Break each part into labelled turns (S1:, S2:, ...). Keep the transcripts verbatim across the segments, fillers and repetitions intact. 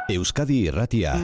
S1: Euskadi Irratia.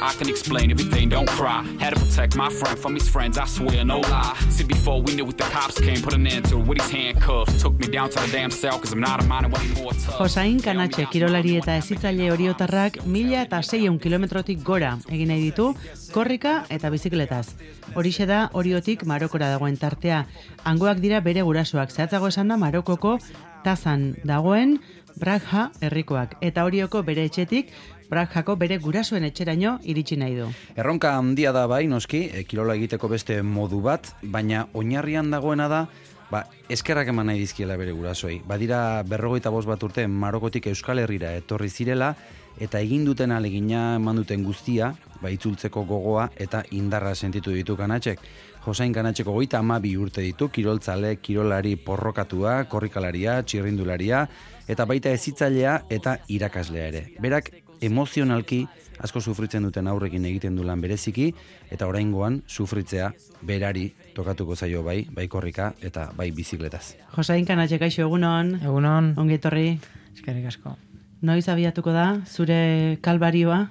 S2: I can explain everything, don't cry. Had to protect my friend from his friends, I swear, no lie. See, before we knew it, the cops came, put an end to it with his handcuffs. Took me down to the damn cell, cause I'm not a minor anymore.
S3: Josain Kanatxe kirolari eta hezitzaile oriotarrak mila eta seiehun kilometrotik gora egin nahi ditu, korrika eta bizikletaz. Horixe da Oriotik Marokora dagoen tartea. Hangoak dira bere gurasoak, zehatzago esan da Marokoko Tazan dagoen Brakha herrikoak, eta Orioko bere etxetik Brakhako bere gurasoen etxeraino iritsi nahi du.
S4: Erronka handia da bai, noski, e, kirola egiteko beste modu bat, baina oinarrian dagoena da, ba, eskerrak eman nahi dizkiela bere gurasoei. Badira berrogeita bost bat urte Marokotik Euskal Herrira etorri zirela, eta egin duten alegina eman duten guztia, ba, itzultzeko gogoa eta indarra sentitu ditu Kanatxek. Josain Kanatxeko goita hamabi urte ditu, kiroltzale, kirolari porrokatua, korrikalaria, txirrindularia, eta baita hezitzailea eta irakaslea ere. Berak emozionalki asko sufritzen duten aurrekin egiten du lan bereziki, eta oraingoan sufritzea berari tokatuko zaio bai, bai korrika eta bai bizikletaz.
S3: Josain Kanatxe, kaixo, egunon.
S5: Egunon.
S3: Ongi etorri.
S5: Eskerrik asko.
S3: Noiz abiatuko da zure kalbarioa?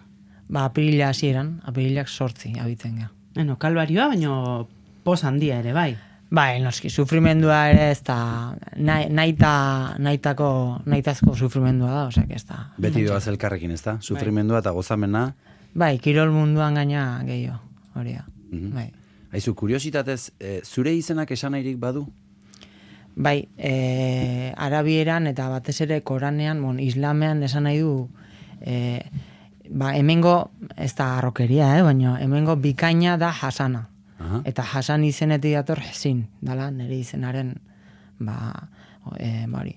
S5: Ba, apirila hasieran, apirilak sortzi abitzen ga.
S3: Bueno, kalbarioa, baina poz handia ere, bai.
S5: Bai, noski, sufrimendua ere ez da, naita, naitako, naitazko sufrimendua da, osea, ez da.
S4: Beti doaz elkarrekin, ez da? Sufrimendua eta gozamena.
S5: Bai, kirol munduan gaina gehiago, hori da.
S4: Mm-hmm.
S5: Bai.
S4: Aizu, kuriositatez, e, zure izenak esan nahirik badu?
S5: Bai, e, arabieran eta batez ere koranean, bon, islamean esan nahi du, e, ba, hemengo, ez da arrokeria, eh, baina hemengo bikaina da Hasana. Aha. Eta Hasan izenetik dator Hezin, dala nire izenaren, ba, e, bari,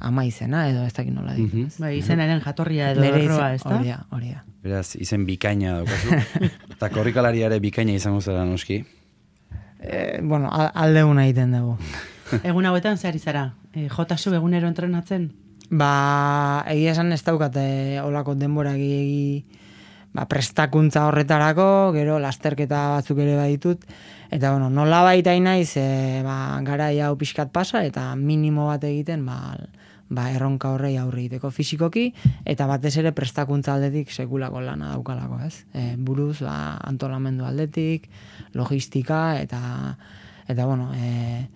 S5: ama izena edo ez dakit nola ditu.
S3: Mm-hmm. Bai, izenaren jatorria edo erroa, ez da?
S5: Hori da, hori da.
S4: Beraz, izen bikaina daukazu. Eta korrikalariare bikaina izango zara noski?
S5: E, bueno, aldeuna egiten dugu.
S3: Egun hauetan zehar izara? E, jotasu egunero entrenatzen?
S5: Ba, egia esan ez daukate olako denbora egi ba, prestakuntza horretarako, gero lasterketa batzuk ere baditut, eta bueno, nola baita naiz, e, ba, gara hau pixkat pasa, eta minimo bat egiten, ba, ba, erronka horrei aurre egiteko fisikoki, eta batez ere prestakuntza aldetik sekulako lana daukalako, ez? E, buruz, ba, antolamendu aldetik, logistika, eta, eta bueno, e,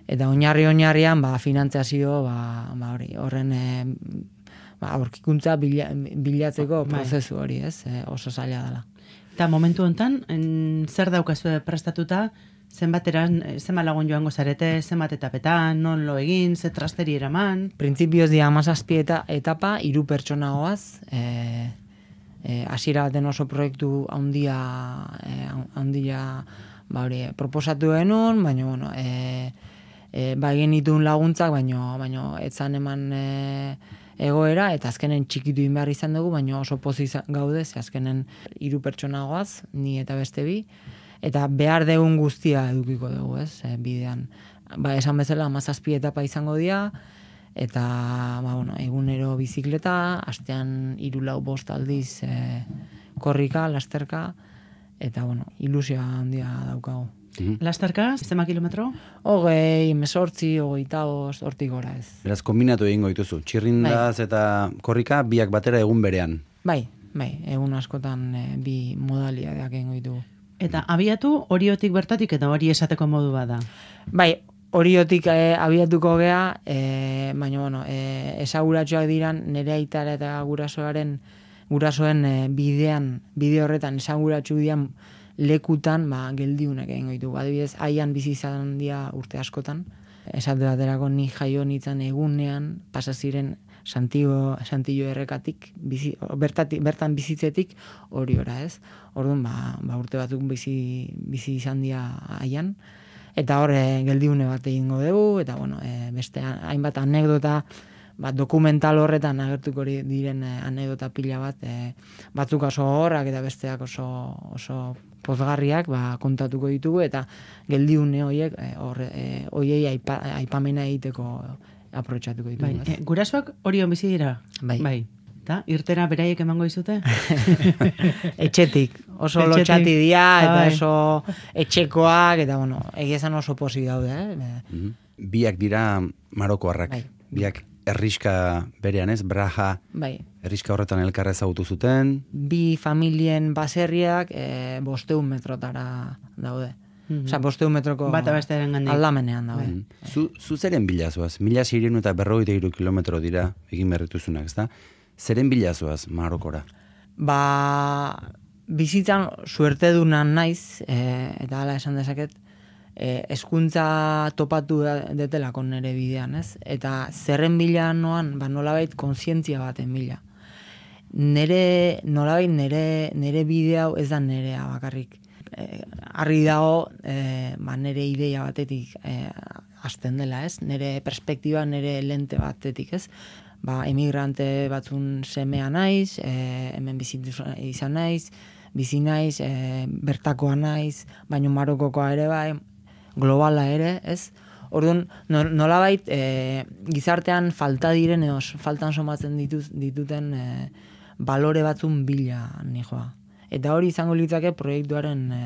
S5: eta oinarri-oinarrian, ba, finantziazio, ba, ba, hori, horren, e, ba, aurkikuntza bila, bilatzeko prozesu hori, ez? E, oso zaila dela.
S3: Eta momentu honetan, en, zer daukazu prestatuta, zenbateran, zenbat lagun joango zarete, zenbat etapetan, non lo egin, ze trasteri eraman?
S5: Printzipioz dia amazazpi eta etapa, hiru pertsona goaz, e, e, hasiera baten oso proiektu handia, e, handia, ba hori, proposatu genuen, baina, bueno, e, e, ba egin ditun laguntzak, baina, baina, etzan eman, e, egoera, eta azkenen txikitu behar izan dugu, baina oso pozi gaude, ze azkenen hiru pertsona goaz, ni eta beste bi, eta behar degun guztia edukiko dugu, ez, e, bidean. Ba, esan bezala, hamazazpi etapa izango dira, eta, ba, bueno, egunero bizikleta, astean hiru lau bost aldiz e, korrika, lasterka, eta, bueno, ilusioa handia daukagu.
S3: Mm-hmm. Lasterka, zema kilometro?
S5: Hogei, mesortzi, hogeita bost, hortik gora ez.
S4: Beraz, kombinatu egingo dituzu. Txirrindaz bai. Eta korrika biak batera egun berean.
S5: Bai, bai, egun askotan e, bi modalidadeak egingo ditugu.
S3: Eta abiatu Oriotik bertatik eta hori esateko modu bada?
S5: Bai, Oriotik e, abiatuko gea, e, baina, bueno, e, esaguratxoak diran nire aitara eta gurasoaren, gurasoen e, bidean, bide horretan esaguratxu dian lekutan, ba, geldiunak egingo ditu. Adibidez, haian bizi izan dira urte askotan. Esate baterako ni jaio nintzen egunean, pasa ziren Santiago, Santillo errekatik, bizi, bertatik, bertan bizitzetik hori ora, ez? Orduan, ba, ba urte batzuk bizi, bizi izan dira haian. Eta hor, e, geldiune bat egingo dugu, eta bueno, e, beste hainbat anekdota, ba, dokumental horretan agertuko diren e, anekdota pila bat, e, batzuk oso horrak eta besteak oso, oso pozgarriak ba, kontatuko ditugu, eta geldiune horiek hor e, hoiei aipa, aipamena egiteko aprotxatuko ditugu.
S3: Bai, e, gurasoak Orion bizi dira?
S5: Bai.
S3: Bai. Ta, irtera beraiek emango dizute?
S5: Etxetik, oso
S3: Etxetik.
S5: lotxati dira, eta
S3: Bai.
S5: oso etxekoak, eta bueno, egia esan oso pozik daude, eh?
S4: Mhm. Biak dira marokoarrak.
S5: Bai.
S4: Biak herriska berean ez, Braja,
S5: Bai.
S4: herriska horretan elkarra ezagutu zuten.
S5: Bi familien baserriak e, bosteun metrotara daude.
S3: Mhm.
S5: Osea, bosteun metroko
S3: Bata bestearengandik.
S5: aldamenean daude.
S4: Mhm. Zu, zu zeren bilazoaz? Mila seireun eta berrogeita hiru kilometro dira egin berrituzunak, ezta? Zeren bilazoaz Marokora?
S5: Ba, bizitzan suerte dunan naiz, e, eta hala esan dezaket, e, eskuntza topatu da- detelako nere bidean, ez? Eta zerren bila noan, ba, nolabait kontzientzia baten bila. Nere, nolabait nere, nere bide hau ez da nerea bakarrik. E, argi dago, e, ba, nere ideia batetik e, hasten dela, ez? Nere perspektiba, nere lente batetik, ez? Ba, emigrante batzun semea naiz, e, hemen bizitu izan naiz, bizi naiz, e, bertakoa naiz, baino Marokokoa ere bai, globala ere, ez? Orduan, no- nolabait e, gizartean falta diren edo faltan somatzen dituz, dituten e, balore batzun bila nijoa. Eta hori izango litzake proiektuaren e,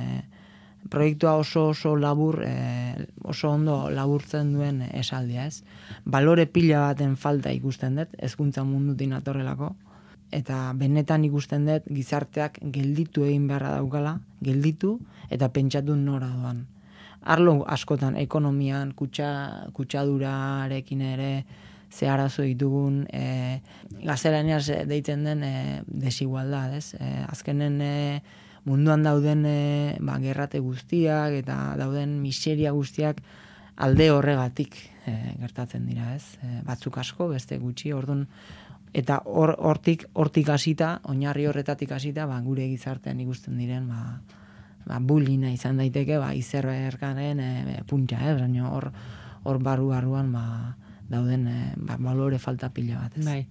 S5: proiektua oso oso labur, e, oso ondo laburtzen duen esaldia, ez? Balore pila baten falta ikusten dut, hezkuntza mundutik natorrelako, eta benetan ikusten dut gizarteak gelditu egin beharra daukala, gelditu eta pentsatu nora doan. Arlo askotan, ekonomian, kutsa, kutsadurarekin ere, ze arazo ditugun, e, gaztelaniaz deitzen den e, desigualdad, ez? E, azkenen e, munduan dauden e, ba, gerrate guztiak eta dauden miseria guztiak alde horregatik e, gertatzen dira, ez? E, batzuk asko, beste gutxi, orduan, eta hor, hortik, hortik hasita, oinarri horretatik hasita, ba, gure gizartean ikusten diren, ba, ba, bullyinga izan daiteke, ba, izerberkaren e, puntxa, eh? Baina hor, hor barru-barruan, ba, dauden e, ba, balore falta pila bat, ez?
S3: Bai.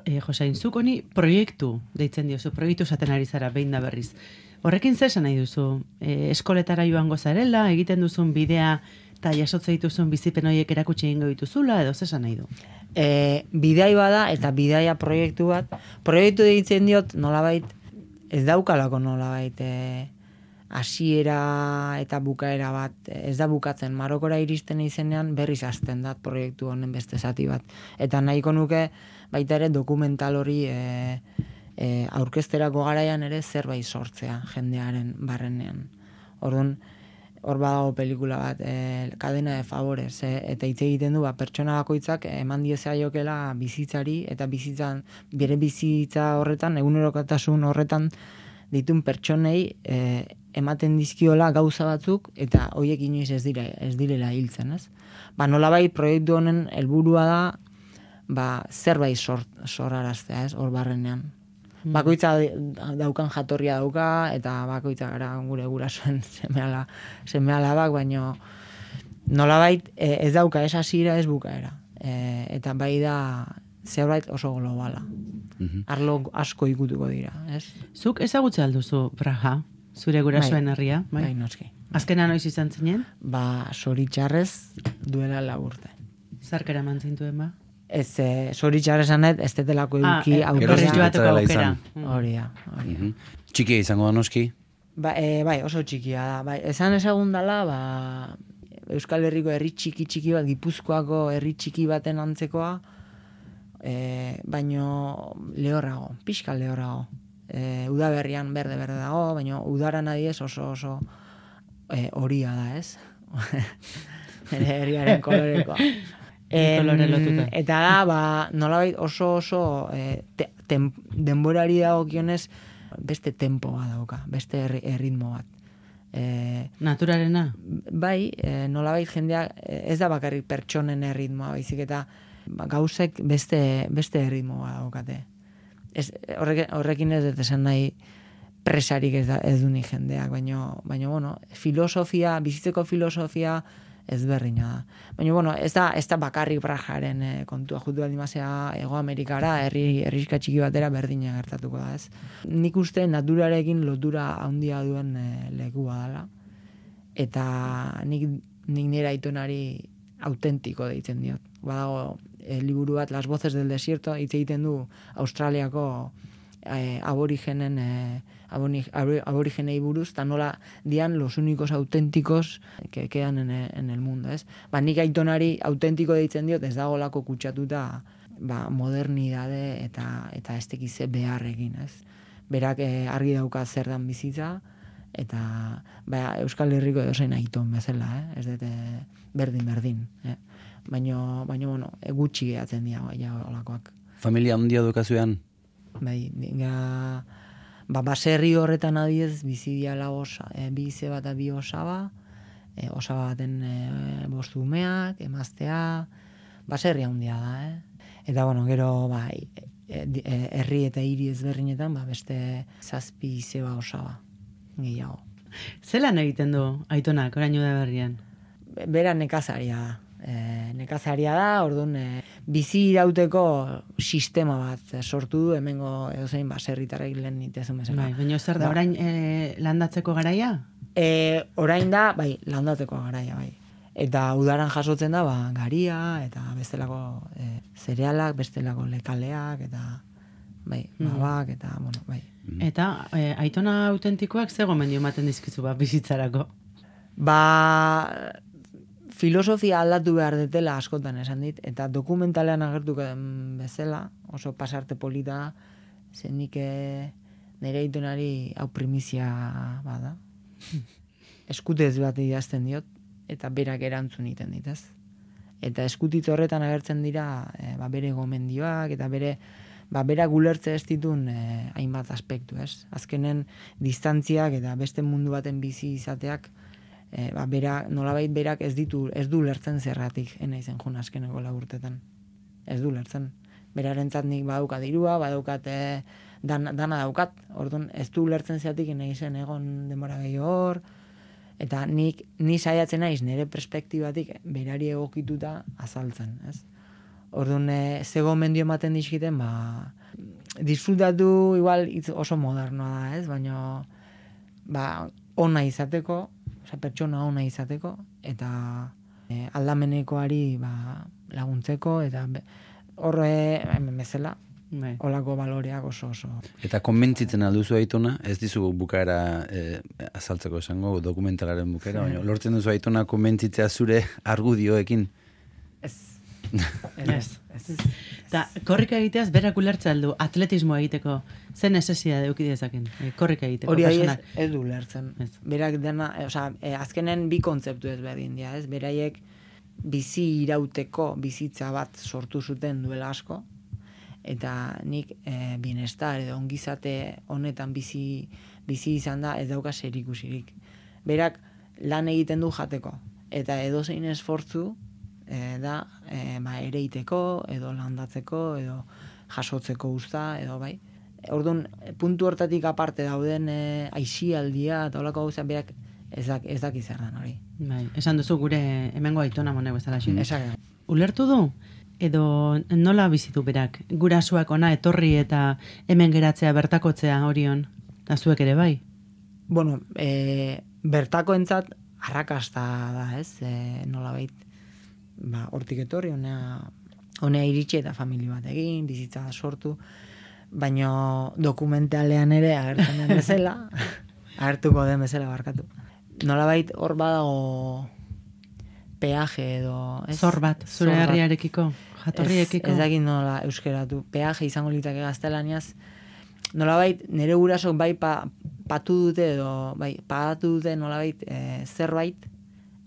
S3: E, Josain, zuk honi proiektu deitzen diozu, proiektu esaten ari zara behin da berriz. Horrekin zer esan nahi duzu? E, eskoletara joango zarela, egiten duzun bidea eta jasotze dituzun bizipen horiek erakutsi egingo dituzula, edo zer esan nahi du?
S5: E, bidai bada eta bidaia proiektu bat, proiektu deitzen diot nolabait, ez daukalako nolabait e, hasiera eta bukaera bat, ez da bukatzen, Marokora iristen izenean berriz hasten da proiektu honen beste zati bat. Eta nahiko nuke baita ere dokumental hori e, e, aurkezterako garaian ere zerbait sortzea jendearen barrenean. Orduan, hor badago pelikula bat, e, Cadena de Favores, e, eta hitz egiten du, ba, pertsona bakoitzak eman diezaiokela bizitzari, eta bizitzan, bere bizitza horretan, egunerokotasun horretan ditun pertsonei e, ematen dizkiola gauza batzuk, eta horiek inoiz ez dira, ez direla hiltzen, ez? Ba, nolabait proiektu honen helburua da, ba, zerbait sort, soraraztea, ez, hor barrenean. Bakoitza daukan jatorria dauka, eta bakoitza gara gure gurasoen semeala, semealabak, baino nolabait e, ez dauka, ez hasiera, ez bukaera. E, eta bai da zerbait oso globala.
S4: Mhm.
S5: Arlo asko ikutuko dira, ez?
S3: Zuk ezagutze alduzu Braja, zure gurasoen herria?
S5: Bai, bai noski.
S3: Azkena noiz izan zinen?
S5: Ba, zoritxarrez duela laburte.
S3: Zarkera mantzintuen ba?
S5: Ez, e, zoritxarrez anet, ez detelako eduki
S3: ah,
S5: aukera.
S3: berriz joateko
S4: Etorrela
S3: aukera.
S4: izan.
S5: Hori da, hori da.
S4: Mhm. Txikia izango da noski.
S5: Ba, e, bai, oso txikia da. Bai, esan ezagun dela, ba, Euskal Herriko herri txiki txiki bat, Gipuzkoako herri txiki baten antzekoa, e, baino lehorrago, pixka lehorrago. E, udaberrian berde-berde dago, baino udaran adiez oso oso e, horia da, ez? Herriaren kolorekoa.
S3: Kolore lotuta.
S5: Eta da, ba, nolabait oso oso e, te, tem, denborari dagokionez beste tempo bat dauka, beste erri- erritmo bat. E,
S3: Naturarena?
S5: bai, e, nolabait jendea ez da bakarrik pertsonen erritmoa, baizik eta ba, gauzek beste, beste erritmo bat daukate. Ez, horrek, horrekin ez dut esan nahi presarik ez, da, ez du ni jendeak, baina, baina bueno, filosofia, bizitzeko filosofia ezberdina da. Baina, bueno, ez da, ez da bakarrik Pragaren e, kontua, jutu aldimazea Ego Amerikara, herri, herriska txiki batera berdina gertatuko da, ez. Nik uste naturarekin lotura handia duen e, lekua dela, eta nik, nik nire aitonari autentiko deitzen diot. Badago, e, liburu bat, Las voces del desierto, hitz egiten du Australiako e, aborigenen e, aborigenei buruz, eta nola dian los únicos auténticos que quedan en el, en el mundo, ez? Ba, nik aitonari autentiko deitzen diot, ez dagolako kutsatuta ba, modernidade eta eta estekize beharrekin, ez? Berak eh, argi dauka zer dan bizitza, eta ba, Euskal Herriko edozein aiton bezala, eh? Ez dute berdin-berdin, eh? Baina, baina, bueno, gutxi gehatzen dira, ja, olakoak.
S4: Familia handia dukazuean?
S5: Bai, dinga... Ba, baserri horretan adiez, bizi diala osa, e, bi izeba eta bi osaba, e, osaba baten e, bostu umeak, emaztea, baserri handia da, eh? Eta, bueno, gero, ba, e, e, herri eta hiri ezberdinetan, ba, beste zazpi izeba osaba, gehiago.
S3: Zelan egiten du aitonak, orain da berrian?
S5: Bera nekazaria da. E, nekazaria da, orduan e, bizi irauteko sistema bat sortu du, hemengo edozein baserritarrek lehen nitezun bezala.
S3: Bai, baina zer da, orain e, landatzeko garaia?
S5: E, orain da, bai, landatzeko garaia, bai. Eta udaran jasotzen da, ba, garia, eta bestelako e, zerealak, bestelako lekaleak, eta bai, babak, eta, bueno, bai.
S3: Eta e, aitona autentikoak ze gomendio ematen dizkizu ba, bizitzarako?
S5: Ba... filosofia aldatu behar detela askotan esan dit, eta dokumentalean agertuko den bezala, oso pasarte polita, zenik nire aitonari hau primizia bada. Eskutez bat idazten diot, eta berak erantzun iten ditez. Eta eskutitz horretan agertzen dira e, ba, bere gomendioak, eta bere ba, berak ulertze ez ditun e, hainbat aspektu, ez? Azkenen distantziak eta beste mundu baten bizi izateak E, ba, bera, nolabait berak ez ditu, ez du lertzen zerratik, ena izen jun azkeneko laburtetan. Ez du lertzen. Berarentzat nik badaukat dirua, badaukat e, dan, dana daukat, orduan ez du lertzen zeratik ena izen egon denbora gehiago hor, eta nik, ni saiatzen naiz nire perspektibatik berari egokituta azaltzen, ez? Orduan, e, ze gomendio ematen dizkiten, ba, disfrutatu igual itz oso modernoa da, ez? Baina, ba, ona izateko, oza, pertsona ona izateko, eta e, aldamenekoari ba, laguntzeko, eta horre, hemen bezala, bai. Olako baloreak oso oso.
S4: Eta konbentzitzen alduzu aitona, ez dizu bukaera e, azaltzeko esango, dokumentalaren bukaera, baina lortzen duzu aitona konbentzitzea zure argudioekin?
S5: Ez.
S3: Ez. Ez. Eta korrika egiteaz berak ulertza aldu, atletismo egiteko, zen nesesia deuki dezaken, e, korrika egiteko.
S5: Hori ez, ez du lertzen. Ez. Berak dena, e, oza, e, azkenen bi kontzeptu ez berdin dira, ez? Beraiek bizi irauteko bizitza bat sortu zuten duela asko, eta nik e, bienestar edo ongizate honetan bizi, bizi izan da ez dauka zerikusirik. Berak lan egiten du jateko, eta edozein esfortzu e, da e, ba, ereiteko, edo landatzeko, edo jasotzeko usta, edo bai. Orduan, puntu hortatik aparte dauden e, aisialdia eta holako gauza berak ez dak, ez daki zer dan hori.
S3: Bai, esan duzu gure hemengo aitona monek bezala xin.
S5: Esak.
S3: Ulertu du? Edo nola bizitu berak? Gurasuak ona etorri eta hemen geratzea bertakotzea horion? Eta zuek ere bai?
S5: Bueno, e, bertakoentzat arrakasta da, ez? E, nola bait, ba, hortik etorri, honea, honea iritsi eta familia bat egin, bizitza sortu, baina dokumentalean ere agertzen den bezala, agertuko den bezala barkatu. Nolabait hor badago peaje edo... Ez?
S3: Zor bat, zure herriarekiko, jatorriekiko.
S5: Ez, ez dakit nola euskeratu. Peaje izango litake gaztelaniaz. Nolabait nire gurasok bai pa, patu dute edo bai pagatu dute nolabait e, zerbait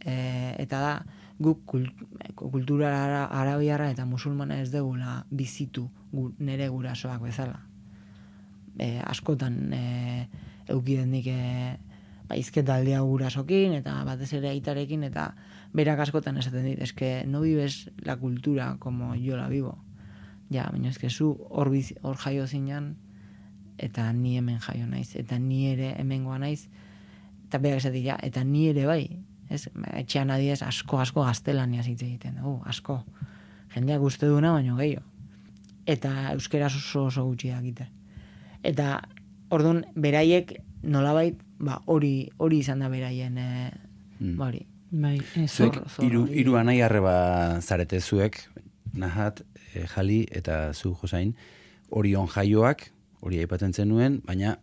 S5: e, eta da guk kult, kultura ara, arabiarra eta musulmana ez degula bizitu gu, nire gurasoak bezala. E, askotan e, eukidendik e, ba, izketaldia gurasokin eta batez ere aitarekin eta berak askotan esaten dit, eske no vives la cultura como yo la vivo. Ja, baina eske zu hor hor jaio zinan eta ni hemen jaio naiz, eta ni ere hemengoa naiz, eta berak esatik, ja, eta ni ere bai, Ez, etxean adiez asko asko gaztelania hitz egiten dugu, asko. Jendeak uste duna baino gehiago. Eta euskeraz oso oso gutxi dakite. Eta orduan beraiek nolabait ba hori hori izan da beraien eh mm. ba hori.
S3: Bai,
S4: zuek hiru hiru anai arreba zarete zuek, Nahat, e, Jali eta zu Josain, Orion jaioak, hori aipatzen zenuen, baina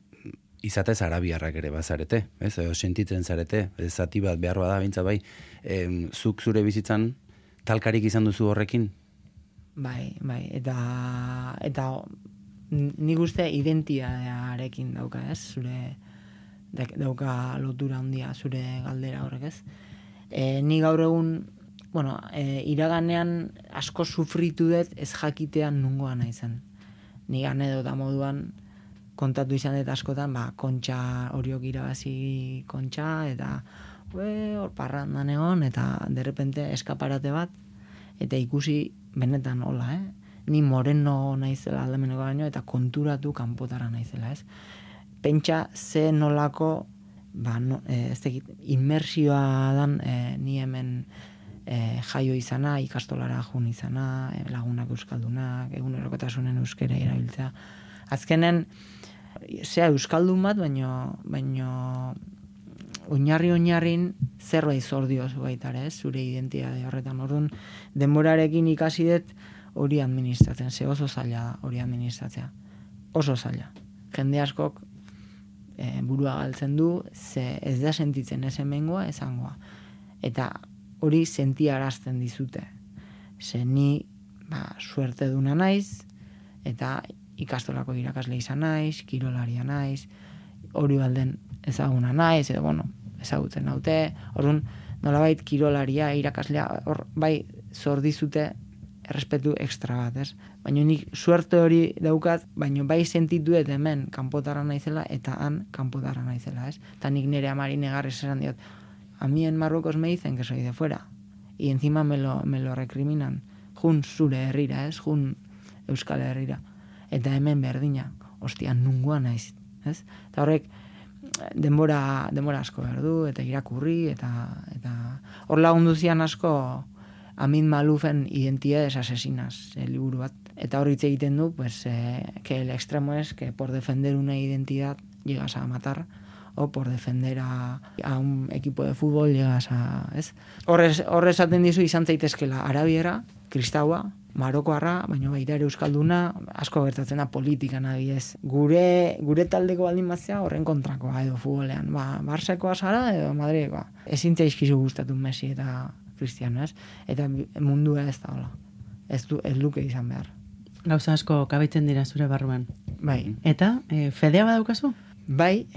S4: izatez arabiarrak ere bazarete, ez? Edo sentitzen zarete, ez zati bat behar bada bintza bai, e, zuk zure bizitzan talkarik izan duzu horrekin?
S5: Bai, bai, eta eta nik uste identitatearekin dauka, ez? Zure dauka lotura handia zure galdera horrek, ez? E, ni gaur egun, bueno, e, iraganean asko sufritu dut ez jakitean nungoa naizen. Ni anedota moduan kontatu izan dut askotan, ba, kontxa horiok irabazi kontxa, eta ue, hor parrandan egon, eta derrepente eskaparate bat, eta ikusi benetan hola, eh? Ni moreno naizela aldameneko baino, eta konturatu kanpotara naizela, ez? Pentsa ze nolako, ba, no, e, ez tekit, inmersioa dan e, ni hemen e, jaio izana, ikastolara jun izana, e, lagunak euskaldunak, egunerokotasunen euskera erabiltzea. Azkenen, zea euskaldun bat, baino, baino oinarri-oinarrin zerbait zor diozu baitare, ez? Zure identitate horretan. Orduan, denborarekin ikasi dut hori administratzen, ze oso zaila da hori administratzea. Oso zaila. Jende askok e, burua galtzen du, ze ez da sentitzen ez hemengoa, esangoa. Eta hori sentiarazten dizute. Ze ni, ba, suerte duna naiz, eta ikastolako irakasle izan naiz, kirolaria naiz, hori balden ezaguna naiz, edo, bueno, ezagutzen naute, orduan, nolabait kirolaria, irakaslea, hor, bai, zor dizute errespetu ekstra bat, ez? Baina nik suerte hori daukat, baina bai sentitu eta hemen kanpotarra naizela, eta han kanpotarra naizela, ez? Eta nik nire amari negarrez esan diot, a mí en Marruecos me dicen que soy de fuera, y encima me lo, me lo recriminan, jun zure herrira, ez? Jun Euskal Herrira. Eta hemen berdina, ostia, nungoa naiz, ez? Eta horrek, denbora, denbora asko behar du, eta irakurri, eta, eta hor lagundu zian asko Amin Malufen Identidades Asesinas, el liburu bat. Eta hor hitz egiten du, pues, eh, que el extremo es que por defender una identidad llegas a matar, o por defender a, a un equipo de fútbol llegas a, ez? Horrez, horrez aten dizu izan zaitezkela arabiera, kristaua, marokoarra, baina baita ere euskalduna, asko gertatzen da politikan adibidez. Gure, gure taldeko baldin batzea horren kontrakoa edo futbolean. Ba, Barsekoa zara edo Madridekoa. Ezin zaizkizu gustatu Messi eta Cristiano, ez? Eta mundua ez da hola. Ez, du, ez luke izan behar.
S3: Gauza asko kabitzen dira zure barruan.
S5: Bai.
S3: Eta, e, fedea badaukazu?
S5: Bai,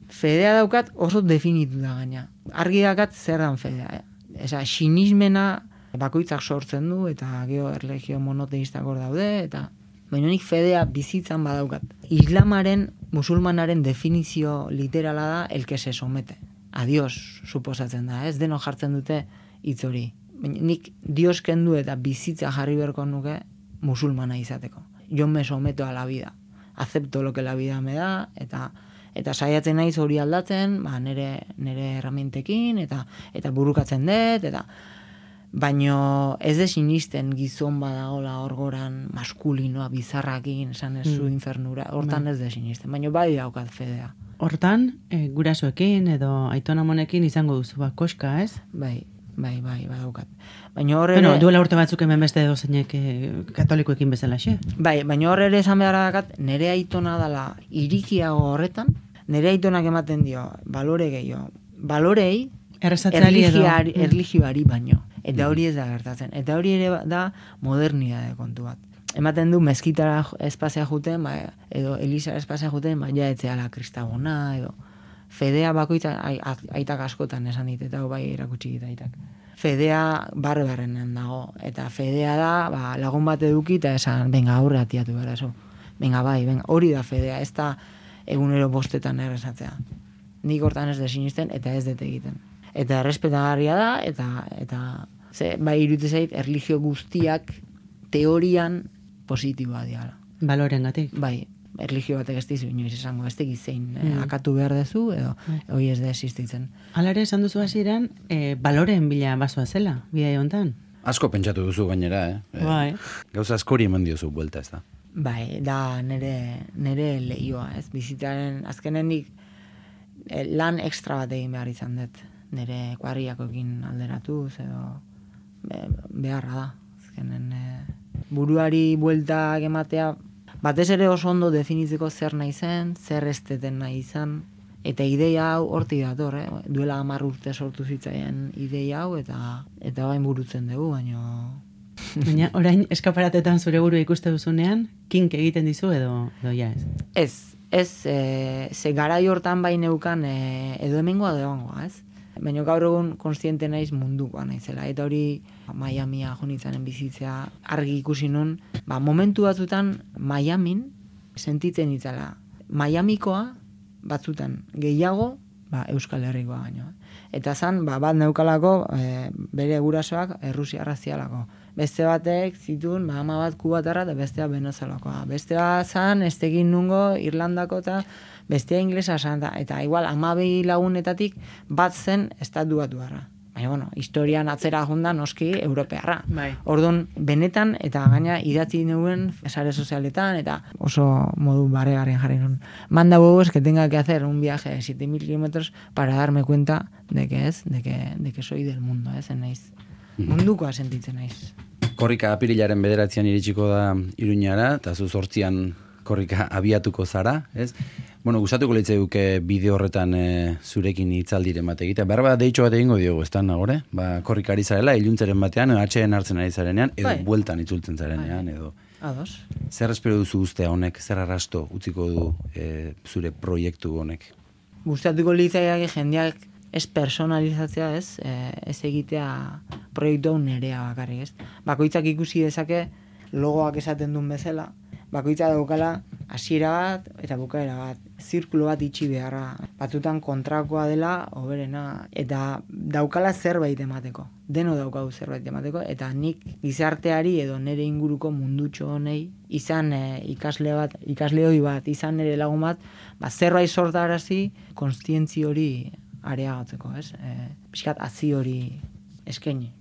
S5: fedea daukat oso definitu da gaina. Argi dakat zer dan fedea. Eza, sinismena bakoitzak sortzen du, eta gero erlegio monoteistak hor daude, eta baina nik fedea bizitzan badaukat. Islamaren, musulmanaren definizio literala da el que se somete. A Dios, suposatzen da, ez deno jartzen dute hitz hori. Baina nik Dios kendu eta bizitza jarri berko nuke musulmana izateko. Yo me someto a la vida. Acepto lo que la vida me da, eta eta saiatzen naiz hori aldatzen, ba, nere, nere herramientekin, eta eta burukatzen dut, eta baino ez de sinisten gizon badagola orgoran maskulinoa bizarrakin, esan ez zu mm. infernura, hortan ez de sinisten, baino bai daukat fedea.
S3: Hortan, e, gurasoekin edo aitonamonekin izango duzu ba, koska, ez?
S5: Bai, bai, bai, badaukat. Baina horre...
S3: Bueno, duela urte batzuk hemen beste edo zeinek e, katolikoekin bezala, xe?
S5: Bai, baina horre ere esan behar dakat, nere aitona dela irikiago horretan, nere aitonak ematen dio, balore gehiago, balorei, erligioari, erligioari baino. Eta hori ez da gertatzen. Eta hori ere da modernidade kontu bat. Ematen du mezkitara espazia juten, ba, edo elizara espazia juten, ba, ja etzeala kristagona, edo fedea bakoitza, aitak askotan esan dit, eta bai erakutsi dit aitak. Fedea barberrenen dago, eta fedea da, ba, lagun bat eduki, eta esan, benga, aurre atiatu gara, eso. Benga, bai, benga, hori da fedea, ez da egunero bostetan errezatzea. Nik hortan ez desinisten, eta ez dut egiten. Eta errespetagarria da, eta, eta ze, bai iruditzen zait, erlijio guztiak teorian positiboa diala.
S3: Balorengatik.
S5: Bai, erlijio batek ez dizu inoiz esango, ez tegiz zein mm. akatu behar dezu, edo hori ez da existitzen.
S3: Hala ere, esan duzu hasieran, e, baloreen bila basoa zela, bidai hontan.
S4: Asko pentsatu duzu gainera, eh?
S3: Bai.
S4: Gauza askori eman diozu buelta, ez da?
S5: Bai, da nere, nere lehioa, ez? Bizitzaren, azkenenik eh, lan ekstra bat egin behar izan dut. Nere kuadriakoekin alderatuz, edo be, beharra da. Azkenen eh, buruari bueltak ematea, batez ere oso ondo definitzeko zer nahi zen, zer esteten nahi izan, eta ideia hau hortik dator, eh? Duela hamar urte sortu zitzaien ideia hau, eta eta bain burutzen dugu, baino...
S3: Baina orain eskaparatetan zure buru ikuste duzunean, kink egiten dizu edo, edo ja ez?
S5: Ez, ez, e, ze garai hortan bai neukan e, edo hemengoa edo egongoa, ez? Baina gaur egun konstiente naiz mundukoa naizela, eta hori Miamia jonitzanen bizitzea argi ikusi nun, ba, momentu batzutan Miamin sentitzen itzala. Miamikoa batzutan gehiago, ba, Euskal Herrikoa baino. Eta zan, ba, bat neukalako e, bere gurasoak errusiarra zialako. Beste batek zituen, ba, ama bat kubatarra eta bestea venezuelakoa. Bestea zan, ez tegin nungo Irlandako eta bestea inglesa zan. Eta igual, amabei lagunetatik bat zen estatu batuarra. Baina, bueno, historian atzera jonda noski europearra.
S3: Bai.
S5: Orduan, benetan, eta gaina idatzi neuen sare sozialetan, eta oso modu barregaren jarri nun. Manda huevos que tenga que hacer un viaje de siete mil kilómetros para darme cuenta de que es, de que, de que soy del mundo, ez, naiz. Mundukoa sentitzen naiz.
S4: Korrika apirilaren bederatzean iritsiko da Iruñara, eta zu zortzian korrika abiatuko zara, ez? Bueno, gustatuko litzaiduke bideo horretan e, zurekin hitzaldiren bat egitea. Behar bat deitxo bat egingo diogu, ez da, nagore? Ba, korrika ari zarela, iluntzaren batean, atxeen hartzen ari zarenean, edo
S5: Bai.
S4: bueltan itzultzen zarenean, edo...
S5: Ados.
S4: Zer espero duzu ustea honek, zer arrasto utziko du e, zure proiektu honek?
S5: Gustatuko litzaiake jendeak ez personalizatzea, ez, e, ez egitea proiektu hau nerea bakarrik, ez. Bakoitzak ikusi dezake logoak esaten duen bezala, bakoitza daukala hasiera bat eta bukaera bat, zirkulo bat itxi beharra. Batzutan kontrakoa dela, hoberena, eta daukala zerbait emateko. Deno daukau zerbait emateko, eta nik gizarteari edo nere inguruko mundutxo honei, izan e, ikasle bat, ikasle hori bat, izan nere lagun bat, ba, zerbait sortarazi, konstientzi hori areagotzeko, ez? E, pixkat hazi hori eskaini.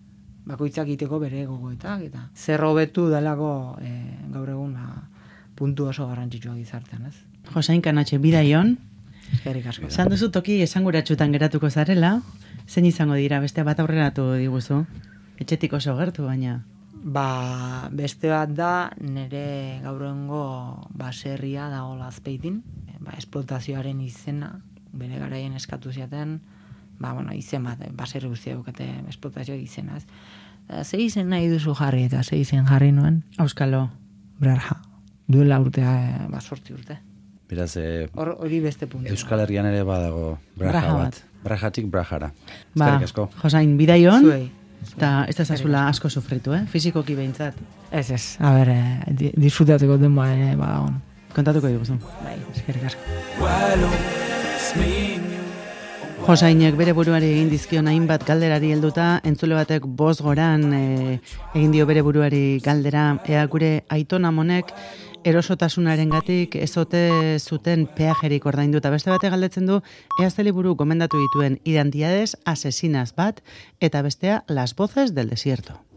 S5: Bakoitzak iteko bere gogoetak, eta zer hobetu delako e, gaur egun ba, puntu oso garrantzitsua gizartean, ez?
S3: Josain Kanatxe, bidaion.
S5: Eskerrik asko.
S3: Zan duzu toki esanguratsutan geratuko zarela, zein izango dira, beste bat aurreratu diguzu? Etxetik oso gertu, baina...
S5: Ba, beste bat da, nire gaur egungo baserria dago Azpeitin, ba, esplotazioaren izena, bere garaien eskatu ziaten, ba, bueno, izen bat, baserri guztia dukate esplotazioak izena, ez? Ze izen nahi duzu jarri, eta ze izen jarri nuen?
S3: Auskalo.
S5: Brarja. Duela urtea, ba, sortzi urte.
S4: Beraz, e,
S5: Hor, hori beste puntu.
S4: Euskal Herrian ere badago braja
S3: Braja
S4: bat. Brajatik brajara.
S3: Ba,
S4: Eskerrik asko.
S3: Josain, bidaion,
S5: Zuei.
S3: eta ez da zazula asko sufritu, eh? Fizikoki behintzat.
S5: Ez, ez, a ber, eh, di- disfrutatzeko denboa ere badagon.
S3: Kontatuko diguzu.
S5: Bai, eskerrik asko.
S3: Josainek bere buruari egin dizkion hainbat galderari helduta, entzule batek bost goran e, egin dio bere buruari galdera, ea gure Aiton Amonek erosotasunarengatik ezote zuten peajerik ordainduta. Beste bate galdetzen du, ea ze liburu gomendatu dituen Identidades asesinas bat, eta bestea Las voces del desierto.